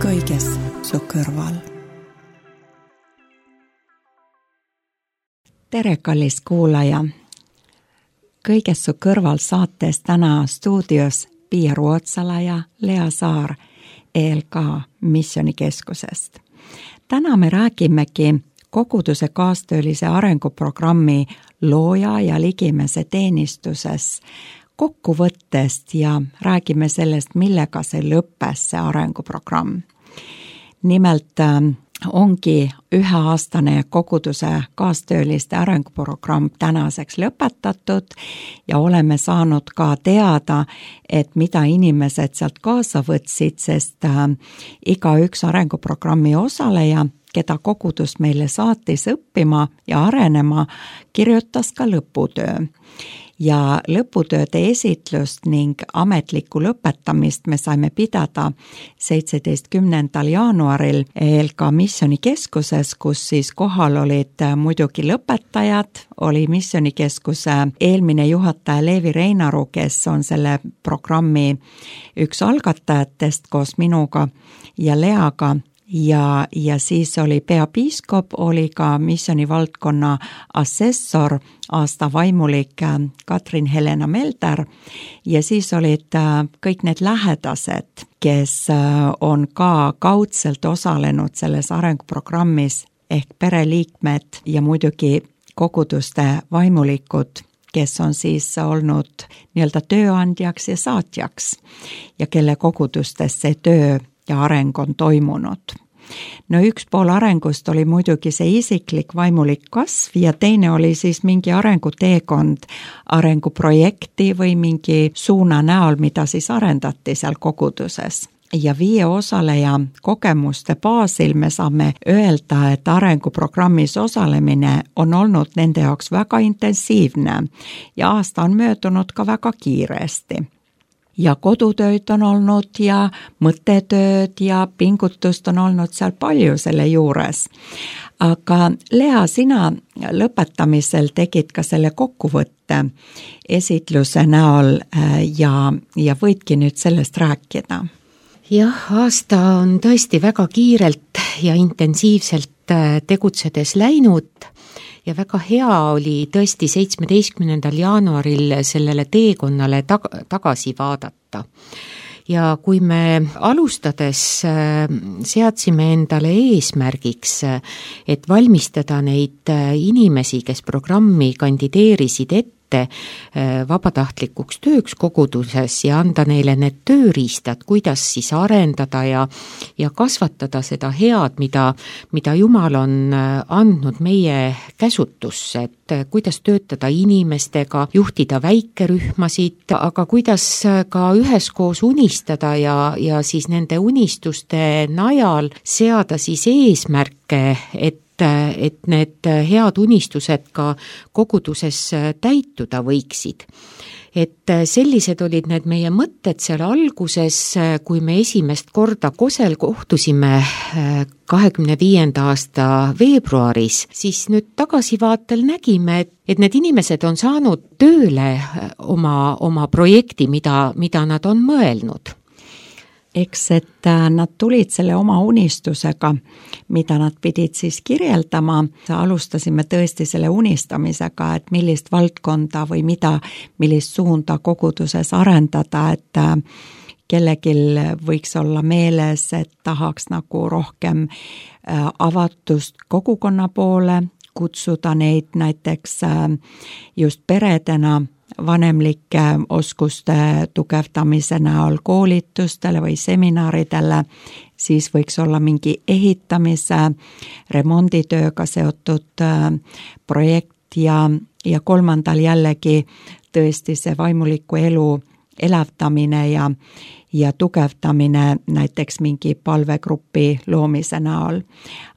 kõiges su kõrval. Tere, kallis kuulaja! Kõiges su kõrval saates täna stuudios Pia Ruotsala ja Lea Saar ELK Missioonikeskusest. Täna me räägimegi koguduse kaastöölise arenguprogrammi looja ja ligimese teenistuses kokkuvõttest ja räägime sellest, millega see lõppes, see arenguprogramm. Nimelt ongi üheaastane koguduse kaastööliste arenguprogramm tänaseks lõpetatud ja oleme saanud ka teada, et mida inimesed sealt kaasa võtsid, sest igaüks arenguprogrammi osaleja, keda kogudus meile saatis õppima ja arenema, kirjutas ka lõputöö. Ja lõputööde esitlust ning ametlikku lõpetamist me saime pidada 17. jaanuaril ELK Missioonikeskuses, kus siis kohal olid muidugi lõpetajad, oli Missioonikeskuse eelmine juhataja Leevi Reinaru, kes on selle programmi üks algatajatest koos minuga ja Leaga. Ja siis oli peapiiskop, oli ka missioonivaldkonna assessor, aasta vaimulik Katrin Helena Melder ja siis olid kõik need lähedased, kes on ka kaudselt osalenud selles arenguprogrammis ehk pereliikmed ja muidugi koguduste vaimulikud, kes on siis olnud nii-öelda tööandjaks ja saatjaks ja kelle kogudustes see töö ja areng on toimunud. No üks pool arengust oli muidugi see isiklik vaimulik kasv ja teine oli siis mingi arenguteekond, arenguprojekti või mingi suuna näol, mida siis arendati seal koguduses. Ja 5 osaleja kogemuste baasil me saame öelda, et arenguprogrammis osalemine on olnud nende jaoks väga intensiivne ja aasta on möödunud ka väga kiiresti. Ja kodutööd on olnud ja mõttetööd ja pingutust on olnud seal palju selle juures. Aga Lea, sina lõpetamisel tegid ka selle kokkuvõtte esitluse näol ja võidki nüüd sellest rääkida. Jah, aasta on tõesti väga kiirelt ja intensiivselt tegutsedes läinud. Ja väga hea oli tõesti 17. jaanuaril sellele teekonnale tagasi vaadata. Ja kui me alustades seadsime endale eesmärgiks, et valmistada neid inimesi, kes programmi kandideerisid ette vabatahtlikuks tööks koguduses ja anda neile need tööriistad, kuidas siis arendada ja kasvatada seda head, mida Jumal on andnud meie käsutusse, et kuidas töötada inimestega, juhtida väikerühmasid, aga kuidas ka üheskoos unistada ja siis nende unistuste najal seada siis eesmärke, et need head unistused ka koguduses täituda võiksid. Et sellised olid need meie mõtted seal alguses, kui me esimest korda Kosel kohtusime 25. aasta veebruaris, siis nüüd tagasivaatel nägime, et need inimesed on saanud tööle oma projekti, mida nad on mõelnud. Eks, et nad tulid selle oma unistusega, mida nad pidid siis kirjeldama. Alustasime tõesti selle unistamisega, et millist valdkonda või millist suunda koguduses arendada, et kellegil võiks olla meeles, et tahaks nagu rohkem avatust kogukonna poole, kutsuda neid näiteks just peredena, vanemlike oskuste tugevdamise näol koolitustele või seminaridele, siis võiks olla mingi ehitamise, remonditööga seotud projekt ja kolmandal jällegi tõesti see vaimuliku elu elavdamine ja tugevdamine näiteks mingi palvegrupi loomise näol.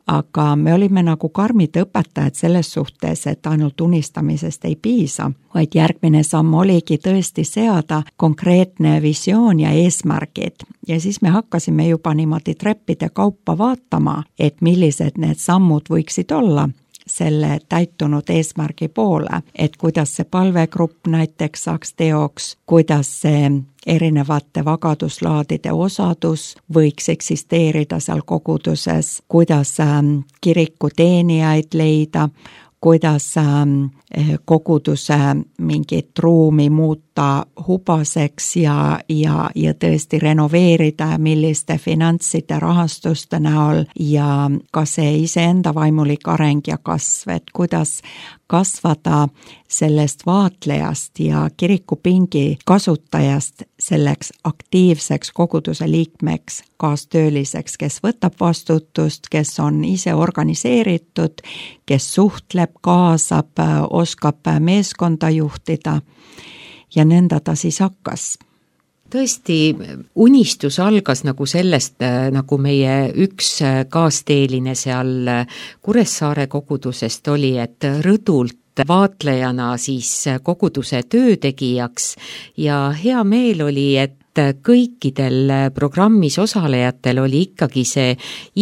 Aga me olime nagu karmid õpetajad selles suhtes, et ainult unistamisest ei piisa, vaid järgmine samm oligi tõesti seada konkreetne visioon ja eesmärgid. Ja siis me hakkasime juba niimoodi treppide kaupa vaatama, et millised need sammud võiksid olla selle täitunud eesmärgi poole, et kuidas see palvegrupp näiteks saaks teoks, kuidas see erinevate vagaduslaadide osadus võiks eksisteerida seal koguduses, kuidas kiriku teenijaid leida, kuidas koguduse mingit ruumi muuta hubaseks ja tõesti renoveerida, milliste finantside rahastuste näol ja ka see iseenda vaimulik areng ja kasv, et kuidas kasvada sellest vaatlejast ja kirikupingi kasutajast selleks aktiivseks koguduse liikmeks, kaastööliseks, kes võtab vastutust, kes on ise organiseeritud, kes suhtleb, kaasab, oskab meeskonda juhtida ja nõnda ta siis hakkas. Tõesti, unistus algas nagu sellest, nagu meie üks kaasteeline seal Kuressaare kogudusest oli, et rõdult vaatlejana siis koguduse töötegijaks ja hea meel oli, et kõikidel programmis osalejatel oli ikkagi see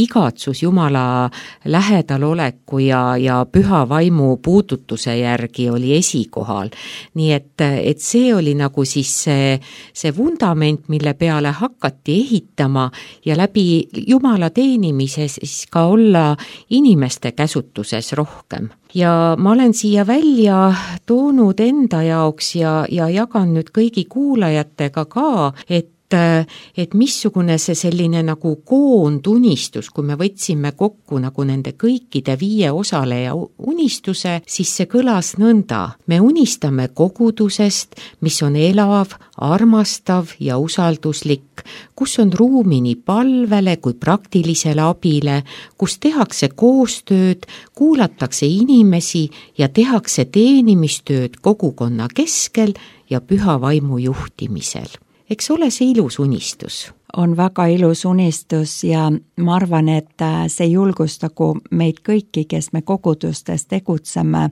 igatsus Jumala lähedaloleku ja püha vaimu puudutuse järgi oli esikohal. Nii et see oli nagu siis see vundament, mille peale hakati ehitama ja läbi Jumala teenimise siis ka olla inimeste käsutuses rohkem. Ja ma olen siia välja toonud enda jaoks ja jagan nüüd kõigi kuulajatega ka, et missugune see selline nagu koondunistus, kui me võtsime kokku nagu nende kõikide 5 osaleja unistuse, siis see kõlas nõnda. Me unistame kogudusest, mis on elav, armastav ja usalduslik, kus on ruumi nii palvele kui praktilisele abile, kus tehakse koostööd, kuulatakse inimesi ja tehakse teenimistööd kogukonna keskel ja püha vaimu juhtimisel. Eks ole see ilus unistus? On väga ilus unistus ja ma arvan, et see julgustagu meid kõiki, kes me kogudustes tegutseme,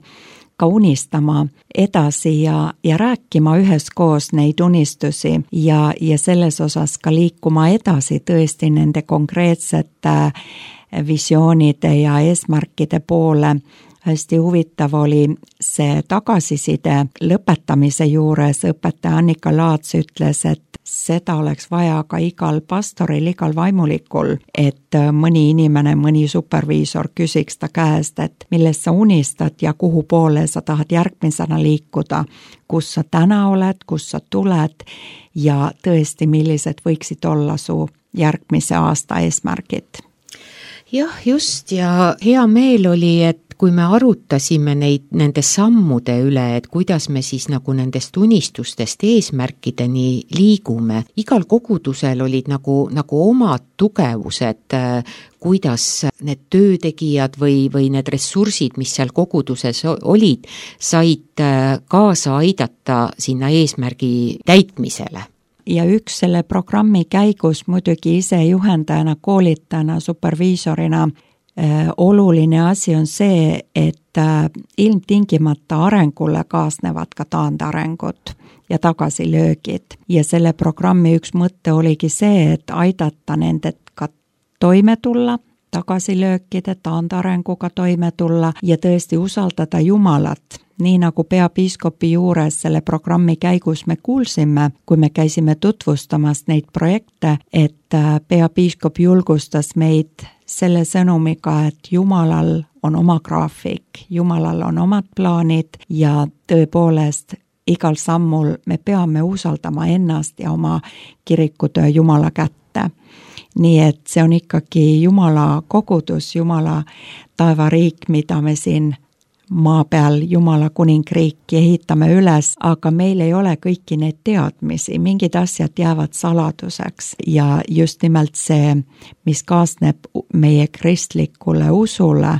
ka unistama edasi ja rääkima üheskoos neid unistusi ja selles osas ka liikuma edasi tõesti nende konkreetsete visioonide ja eesmärkide poole. Hästi huvitav oli see tagasiside lõpetamise juures. Õpetaja Annika Laats ütles, et seda oleks vaja ka igal pastoril, igal vaimulikul, et mõni inimene, mõni superviisor küsiks ta käest, et millest sa unistad ja kuhu poole sa tahad järgmisena liikuda, kus sa täna oled, kus sa tuled ja tõesti, millised võiksid olla su järgmise aasta eesmärgid. Jah, just ja hea meel oli, et kui me arutasime nende sammude üle, et kuidas me siis nagu nendest unistustest eesmärkideni liigume, igal kogudusel olid nagu omad tugevused, kuidas need töötegijad või need ressursid, mis seal koguduses olid, said kaasa aidata sinna eesmärgi täitmisele. Ja üks selle programmi käigus muidugi ise juhendajana, koolitajana, superviisorina oluline asi on see, et ilmtingimata arengule kaasnevad ka taandarengud ja tagasilöögid. Ja selle programmi üks mõte oligi see, et aidata nendega toime tulla, tagasilöökide, taandarenguga toime tulla ja tõesti usaldada Jumalat. Nii nagu peapiiskopi juures selle programmi käigus me kuulsime, kui me käisime tutvustamas neid projekte, et peapiiskop julgustas meid selle sõnumiga, et Jumalal on oma graafik, Jumalal on omad plaanid ja tõepoolest igal sammul me peame usaldama ennast ja oma kirikutöö Jumala kätte. Nii et see on ikkagi Jumala kogudus, Jumala taevariik, mida me siin maa peal Jumala kuningriiki ehitame üles, aga meil ei ole kõiki neid teadmisi, mingid asjad jäävad saladuseks ja just nimelt see, mis kaasneb meie kristlikule usule,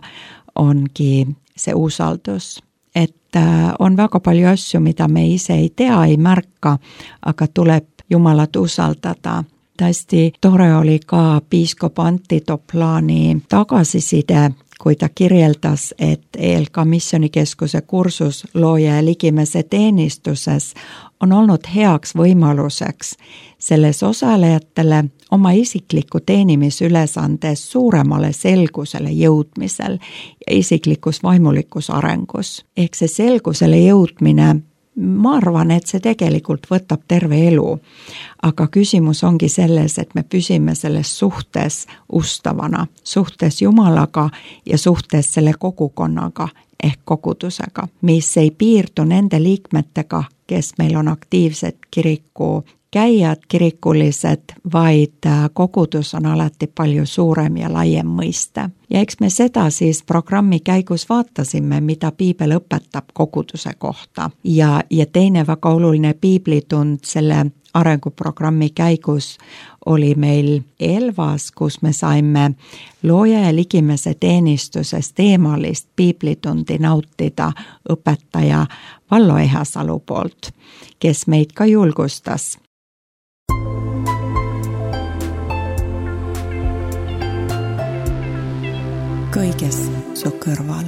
ongi see usaldus. Et on väga palju asju, mida me ise ei tea, ei märka, aga tuleb Jumalat usaldada. Hästi tore oli ka piiskop Antti Toplani tagasiside, kui ta kirjeldas, et ELK missionikeskuse kursus looja ja ligimese teenistuses on olnud heaks võimaluseks selles osalejatele oma isikliku teenimisülesandes suuremale selgusele jõudmisel ja isiklikus vaimulikus arengus. Ehk see selgusele jõudmine, ma arvan, et see tegelikult võtab terve elu, aga küsimus ongi selles, et me püsime selles suhtes ustavana, suhtes Jumalaga ja suhtes selle kogukonnaga ehk kogudusega, mis ei piirdu nende liikmetega, kes meil on aktiivsed kiriku käijad, kirikulised, vaid kogudus on alati palju suurem ja laiem mõiste. Ja eks me seda siis programmi käigus vaatasime, mida piibel õpetab koguduse kohta. Ja teine väga oluline piiblitund selle arenguprogrammi käigus oli meil Elvas, kus me saime looja ja ligimese teenistusest eemalist piiblitundi nautida õpetaja Vallo Ehasalu poolt, kes meid ka julgustas. Kõiges su kõrval.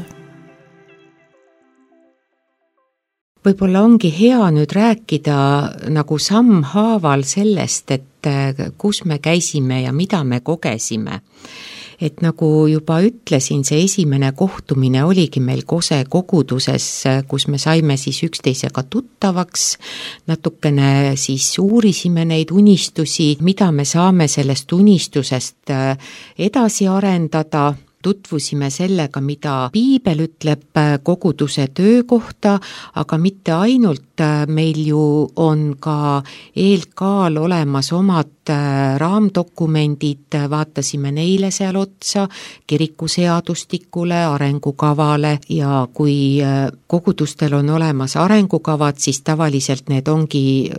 Võib-olla ongi hea nüüd rääkida nagu sammhaaval sellest, et kus me käisime ja mida me kogesime. Et nagu juba ütlesin, see esimene kohtumine oligi meil Kose koguduses, kus me saime siis üksteisega tuttavaks, natukene siis uurisime neid unistusi, mida me saame sellest unistusest edasi arendada, tutvusime sellega, mida piibel ütleb koguduse töö kohta, aga mitte ainult, meil ju on ka ELK-l olemas omad raamdokumendid, vaatasime neile seal otsa, kirikuseadustikule, arengukavale ja kui kogudustel on olemas arengukavad, siis tavaliselt need ongi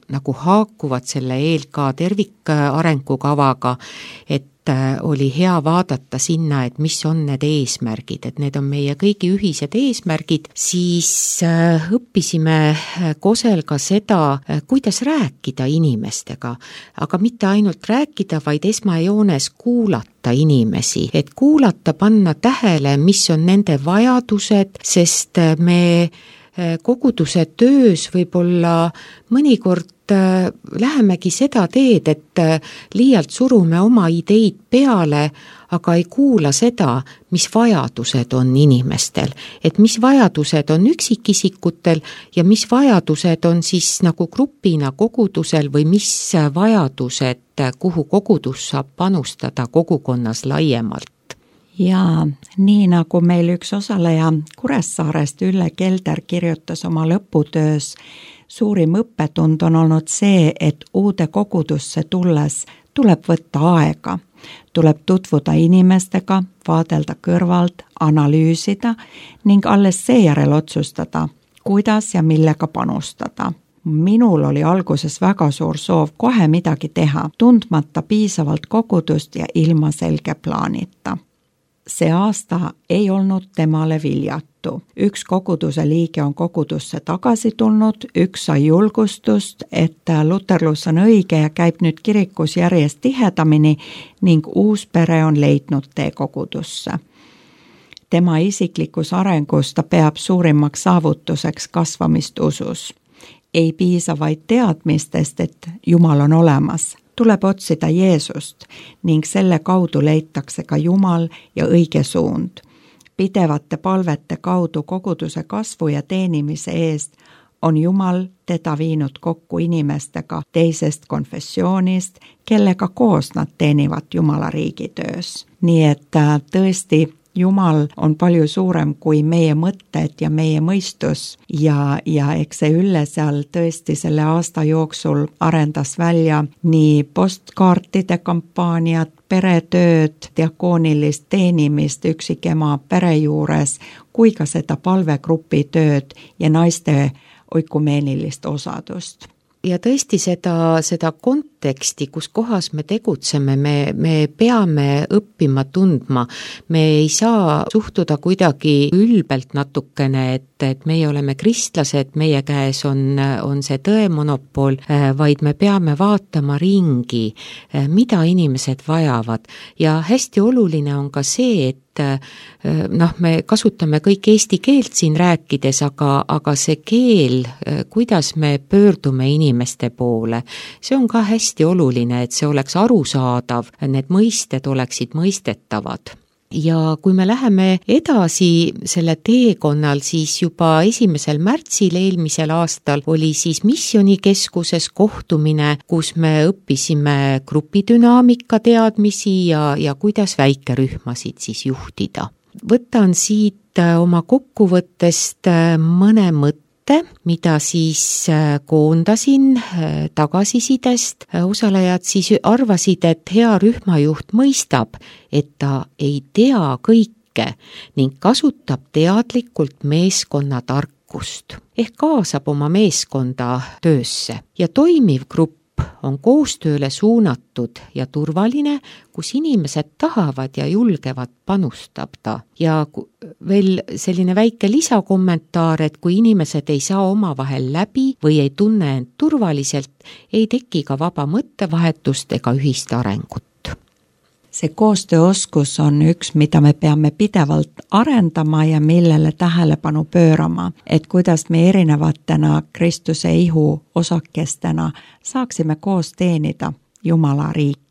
nagu haakuvad selle ELK tervikarengukavaga, et oli hea vaadata sinna, et mis on need eesmärgid, et need on meie kõigi ühised eesmärgid, siis õppisime Kosel ka seda, kuidas rääkida inimestega, aga mitte ainult rääkida, vaid esmajoones kuulata inimesi, et kuulata, panna tähele, mis on nende vajadused, sest me koguduse töös võib-olla mõnikord lähemegi seda teed, et liialt surume oma ideid peale, aga ei kuula seda, mis vajadused on inimestel, et mis vajadused on üksikisikutel ja mis vajadused on siis nagu grupina kogudusel või mis vajadused, kuhu kogudus saab panustada kogukonnas laiemalt. Ja nii nagu meil üks osaleja Kuressaarest, Ülle Kelder, kirjutas oma lõputöös, suurim õppetund on olnud see, et uude kogudusse tulles tuleb võtta aega. Tuleb tutvuda inimestega, vaadelda kõrvalt, analüüsida ning alles seejärel otsustada, kuidas ja millega panustada. Minul oli alguses väga suur soov kohe midagi teha, tundmata piisavalt kogudust ja ilma selge plaanita. See aasta ei olnud temale viljatu. Üks koguduse liige on kogudusse tagasi tulnud, üks sai julgustust, et luterlus on õige ja käib nüüd kirikus järjest tihedamini ning uus pere on leidnud tee kogudusse. Tema isiklikus arengus ta peab suurimaks saavutuseks kasvamist usus. Ei piisa vaid teadmistest, et Jumal on olemas. Tuleb otsida Jeesust ning selle kaudu leitakse ka Jumal ja õige suund. Pidevate palvete kaudu koguduse kasvu ja teenimise eest on Jumal teda viinud kokku inimestega teisest konfessioonist, kellega koos nad teenivad Jumala riigitöös. Nii et tõesti Jumal on palju suurem kui meie mõtted ja meie mõistus ja eks see Ülle seal tõesti selle aasta jooksul arendas välja nii postkaartide kampaaniat, peretööd, diakoonilist teenimist üksikema pere juures, kui ka seda palvegrupi tööd ja naiste oikumeenilist osadust. Ja tõesti seda konteksti, kus kohas me tegutseme, me peame õppima tundma. Me ei saa suhtuda kuidagi ülbelt natukene, et et meie oleme kristlased, meie käes on see tõemonopol, vaid me peame vaatama ringi, mida inimesed vajavad. Ja hästi oluline on ka see, et me kasutame kõik eesti keelt siin rääkides, aga see keel, kuidas me pöördume inimeste poole, see on ka hästi oluline, et see oleks arusaadav, need mõisted oleksid mõistetavad. Ja kui me läheme edasi selle teekonnal, siis juba 1. märtsil eelmisel aastal oli siis Missionikeskuses kohtumine, kus me õppisime grupidünaamika teadmisi ja kuidas väikerühmasid siis juhtida. Võtan siit oma kokkuvõttest mõne mõtte, mida siis koondasin tagasisidest. Osalejad siis arvasid, et hea rühmajuht mõistab, et ta ei tea kõike ning kasutab teadlikult meeskonna tarkust ehk kaasab oma meeskonda töösse ja toimiv grupp on koostööle suunatud ja turvaline, kus inimesed tahavad ja julgevad panustada. Ja veel selline väike lisakommentaar, et kui inimesed ei saa omavahel läbi või ei tunne end turvaliselt, ei teki ka vaba mõttevahetust ega ühist arengut. See koostööoskus on üks, mida me peame pidevalt arendama ja millele tähelepanu pöörama, et kuidas me erinevatena Kristuse ihu osakestena saaksime koos teenida Jumala riiki.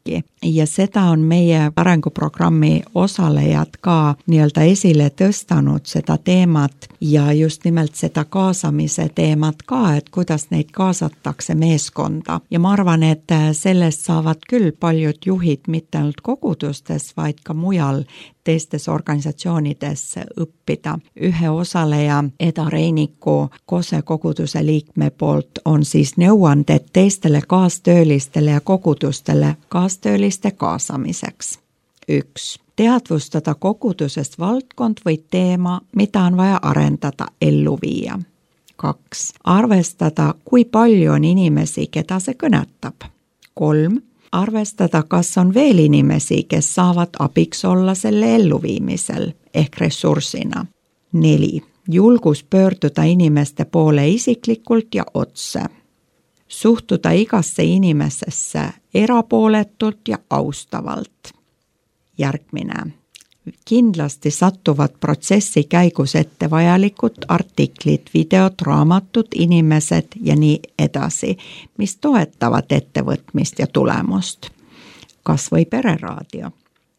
Ja seda on meie arenguprogrammi osalejad ka nii-öelda esile tõstanud seda teemat ja just nimelt seda kaasamise teemat ka, et kuidas neid kaasatakse meeskonda. Ja ma arvan, et sellest saavad küll paljud juhid mitte ainult kogudustes, vaid ka mujal teistes organisatsioonides õppida. Ühe osaleja Eda Reiniku Kose koguduse liikme poolt on siis nõuanded teistele kaastöölistele ja kogudustele kaastööliste kaasamiseks. 1. Teadvustada kogudusest valdkond või teema, mida on vaja arendada, ellu viia. 2. Arvestada, kui palju on inimesi, keda see kõnetab. 3. Arvestada, kas on veel inimesi, kes saavad abiks olla selle elluviimisel ehk ressursina. 4. Julgus pöörduda inimeste poole isiklikult ja otse. Suhtuda igasse inimesesse erapooletult ja austavalt. Järgmine. Kindlasti satuvad protsessi käigus ette vajalikud artiklid, videod, raamatud, inimesed ja nii edasi, mis toetavad ettevõtmist ja tulemust. Kas või pereraadio.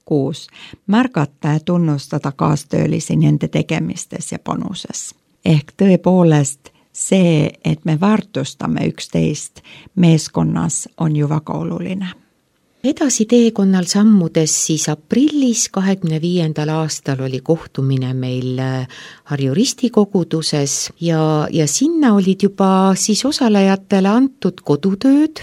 6. Märgata ja tunnustada kaastöölisi nende tegemistes ja panuses. Ehk tõepoolest see, et me väärtustame üksteist meeskonnas, on ju väga oluline. Edasi teekonnal sammudes siis aprillis 25. aastal oli kohtumine meil Harju Risti koguduses ja sinna olid juba siis osalejatele antud kodutööd.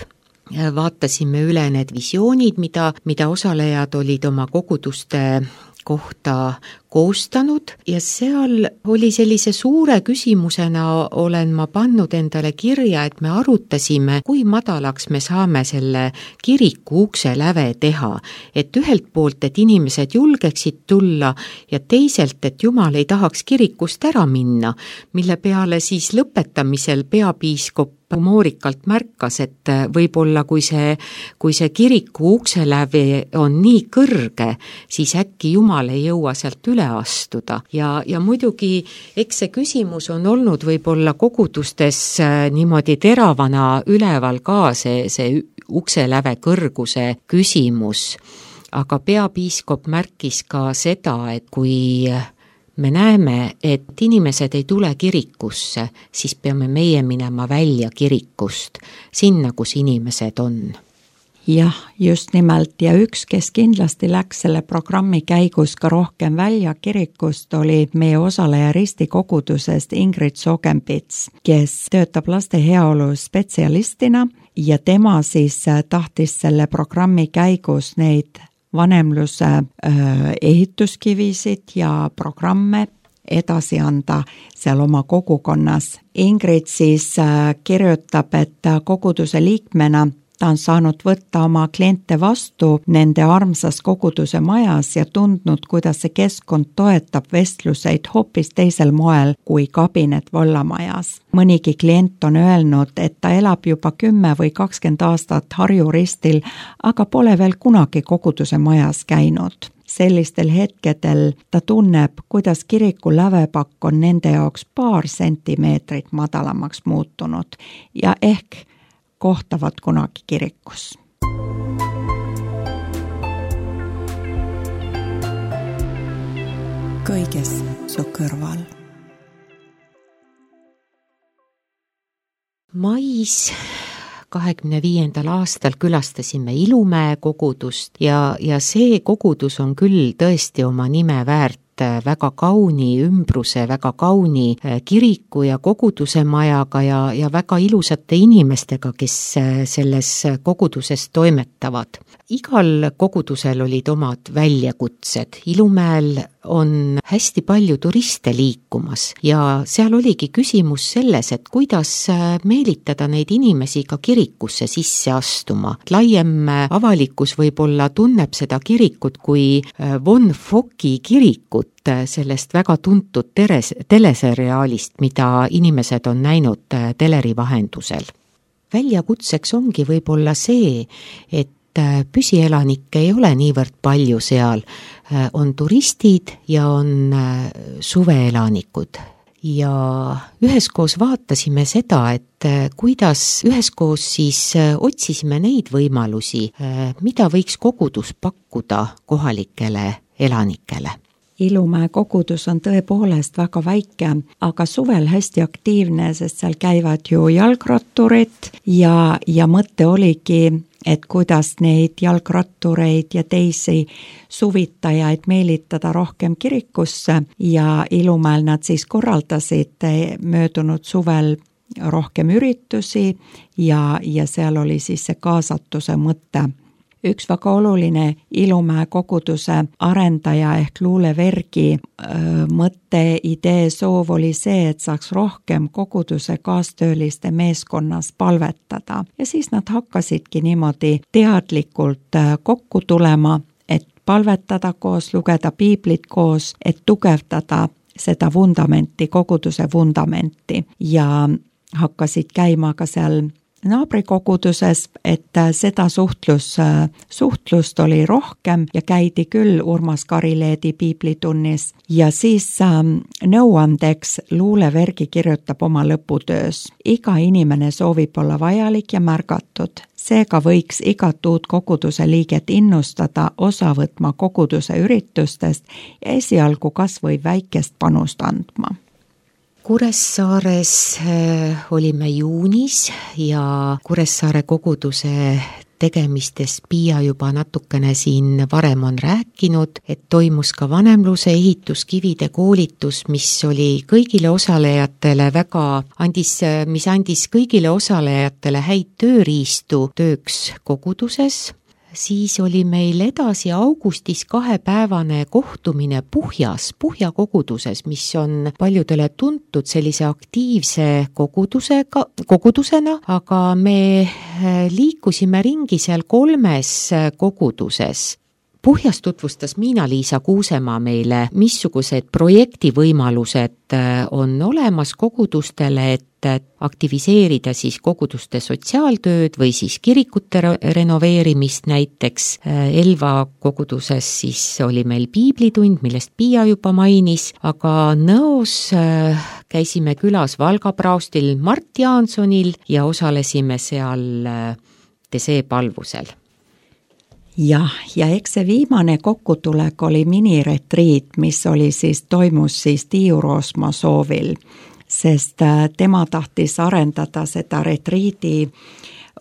Vaatasime üle need visioonid, mida osalejad olid oma koguduste kohta koostanud ja seal oli sellise suure küsimusena olen ma pannud endale kirja, et me arutasime, kui madalaks me saame selle kiriku ukse läve teha, et ühelt poolt, et inimesed julgeksid tulla ja teiselt, et Jumal ei tahaks kirikust ära minna, mille peale siis lõpetamisel peapiiskop humoorikalt märkas, et võib-olla kui see kiriku ukseläve on nii kõrge, siis äkki Jumal ei jõua sealt üle astuda. Ja muidugi, eks see küsimus on olnud võib-olla kogudustes niimoodi teravana üleval ka see ukseläve kõrguse küsimus. Aga peapiiskop märkis ka seda, et kui me näeme, et inimesed ei tule kirikusse, siis peame meie minema välja kirikust, sinna, kus inimesed on. Jah, just nimelt ja üks, kes kindlasti läks selle programmi käigus ka rohkem välja kirikust, oli meie osaleja Risti kogudusest Ingrid Sogenpits, kes töötab laste heaolu spetsialistina ja tema siis tahtis selle programmi käigus neid vanemluse ehituskivisid ja programme edasi anda seal oma kogukonnas. Ingrid siis kirjutab, et koguduse liikmena ta on saanud võtta oma kliente vastu nende armsas koguduse majas ja tundnud, kuidas see keskkond toetab vestluseid hoopis teisel moel kui kabinet vallamajas. Mõnigi klient on öelnud, et ta elab juba 10 või 20 aastat Harju ristil, aga pole veel kunagi koguduse majas käinud. Sellistel hetkedel ta tunneb, kuidas kiriku lävepakk on nende jaoks paar sentimeetrit madalamaks muutunud ja ehk kohtavad kunagi kirikus. Kõiges su kõrval. Mais 25. aastal külastasime Ilumäe kogudust ja see kogudus on küll tõesti oma nime väärt, väga kauni ümbruse, väga kauni kiriku ja koguduse majaga ja väga ilusate inimestega, kes selles koguduses toimetavad. Igal kogudusel olid omad väljakutsed. Ilumäel on hästi palju turiste liikumas ja seal oligi küsimus selles, et kuidas meelitada neid inimesi ka kirikusse sisse astuma. Laiem avalikkus võib-olla tunneb seda kirikut kui Von Focki kirikut, sellest väga tuntud teleseriaalist, mida inimesed on näinud teleri vahendusel. Väljakutseks ongi võib-olla see, et püsielanikke ei ole niivõrd palju seal, on turistid ja on suveelanikud. Ja üheskoos vaatasime seda, et kuidas üheskoos siis otsisime neid võimalusi, mida võiks kogudus pakkuda kohalikele elanikele. Ilumäe kogudus on tõepoolest väga väike, aga suvel hästi aktiivne, sest seal käivad ju jalgratturid ja mõte oligi, et kuidas neid jalgrattureid ja teisi suvitajaid meelitada rohkem kirikusse ja Ilumäel nad siis korraldasid möödunud suvel rohkem üritusi ja seal oli siis see kaasatuse mõte. Üks väga oluline Ilumäe koguduse arendaja ehk Luule Vergi mõte, idee, soov oli see, et saaks rohkem koguduse kaastööliste meeskonnas palvetada. Ja siis nad hakkasidki niimoodi teadlikult kokku tulema, et palvetada koos, lugeda piiblit koos, et tugevdada seda vundamenti, koguduse vundamenti ja hakkasid käima ka seal naabrikoguduses, et seda suhtlust oli rohkem ja käidi küll Urmas Karileedi piiblitunnis ja siis nõuandeks Luule Vergi kirjutab oma lõputöös. Iga inimene soovib olla vajalik ja märgatud, seega võiks igat uut koguduse liiget innustada osa võtma koguduse üritustest ja esialgu kas või väikest panust andma. Kuressaares olime juunis ja Kuressaare koguduse tegemistest Piia juba natukene siin varem on rääkinud, et toimus ka vanemluse ehituskivide koolitus, mis oli kõigile osalejatele mis andis kõigile osalejatele häid tööriistu tööks koguduses. Siis oli meil edasi augustis 2-päevane kohtumine Puhja koguduses, mis on paljudele tuntud sellise aktiivse kogudusena, aga me liikusime ringi seal 3 koguduses. Puhjas tutvustas Miina-Liisa Kuusemaa meile, missugused projektivõimalused on olemas kogudustele, et aktiviseerida siis koguduste sotsiaaltööd või siis kirikute renoveerimist näiteks. Elva koguduses siis oli meil piiblitund, millest Piia juba mainis, aga Nõos käisime külas Valga praostil Mart Jaansonil ja osalesime seal teseepalvusel. Ja eks see viimane kokkutulek oli miniretriit, mis toimus Tiiu Roosma soovil, sest tema tahtis arendada seda retriidi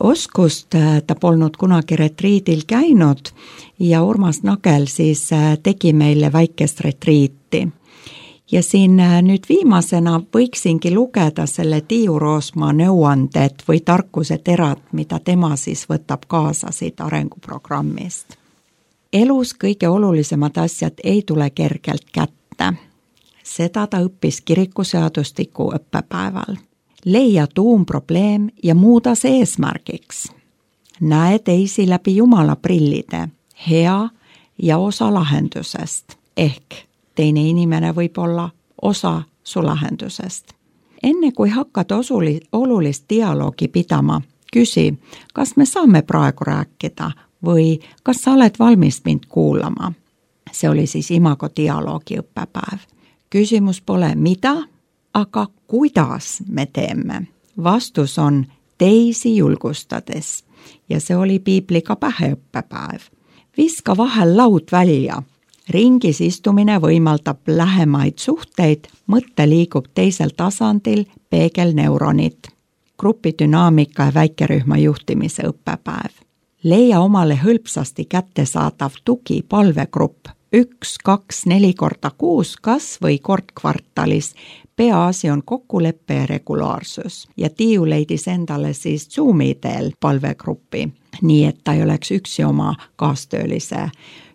oskust, ta polnud kunagi retriidil käinud ja Urmas Nagel siis tegi meile väikest retriiti. Ja siin nüüd viimasena võiksingi lugeda selle Tiiu Roosma nõuanded või tarkuseterad, mida tema siis võtab kaasa siit arenguprogrammist. Elus kõige olulisemad asjad ei tule kergelt kätte. Seda ta õppis kirikuseadustiku õppepäeval. Leia tuumprobleem ja muuda see eesmärgiks. näe teisi läbi Jumala prillide, hea ja osa lahendusest. Ehk teine inimene võib olla osa su lahendusest. Enne kui hakkad olulist dialoogi pidama, küsi, kas me saame praegu rääkida või kas sa oled valmis mind kuulama. See oli siis Imago dialoogi õppepäev. Küsimus pole mida, aga kuidas me teeme. Vastus on teisi julgustades ja see oli piibliga pähe õppepäev. Viska vahel laud välja. Ringis istumine võimaldab lähemaid suhteid, mõte liigub teisel tasandil, peegelneuronid. Grupidünaamika ja väikerühma juhtimise õppepäev. Leia omale hõlpsasti kättesaadav tugi palvegrupp 1, 2, 4 korda kuus, kas või kord kvartalis. Peaasi on kokkuleppe ja regulaarsus. Ja Tiiu leidis endale siis Zoomi teel palvegruppi, nii et ta ei oleks üksi oma kaastöölise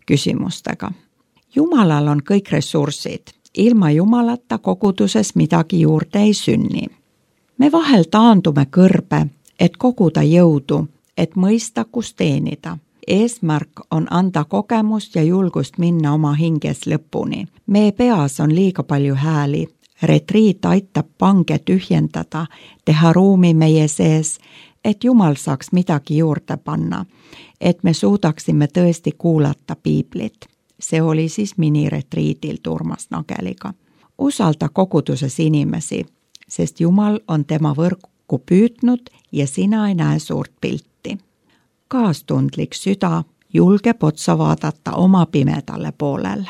küsimustega. Jumalal on kõik ressursid. Ilma Jumalata koguduses midagi juurde ei sünni. Me vahel taandume kõrbe, et koguda jõudu, et mõista, kus teenida. Eesmärk on anda kogemust ja julgust minna oma hinges lõpuni. Meie peas on liiga palju hääli. Retriit aitab pange tühjendada, teha ruumi meie sees, et Jumal saaks midagi juurde panna, et me suudaksime tõesti kuulata piiblit. See oli siis miniretriidil Urmas Nageliga. Usalda koguduses inimesi, sest Jumal on tema võrku püüdnud ja sina ei näe suurt pilti. Kaastundlik süda julgeb otsa vaadata oma pimedale poolele.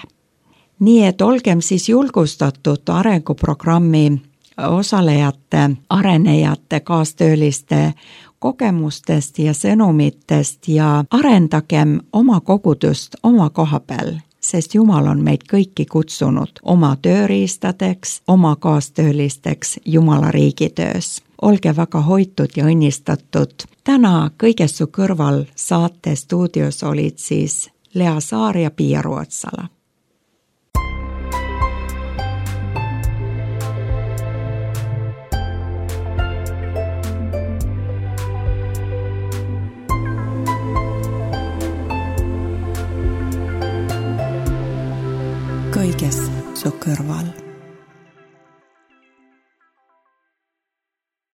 Nii et olgem siis julgustatud arenguprogrammi osalejate, arenejate, kaastööliste kogemustest ja sõnumitest ja arendagem oma kogudust oma koha peal, sest Jumal on meid kõiki kutsunud oma tööriistadeks, oma kaastöölisteks Jumala riigitöös. Olge väga hoitud ja õnnistatud. Täna Kõigest su kõrval saate stuudios olid siis Lea Saar ja Pia Ruotsala. Kõigest su kõrval.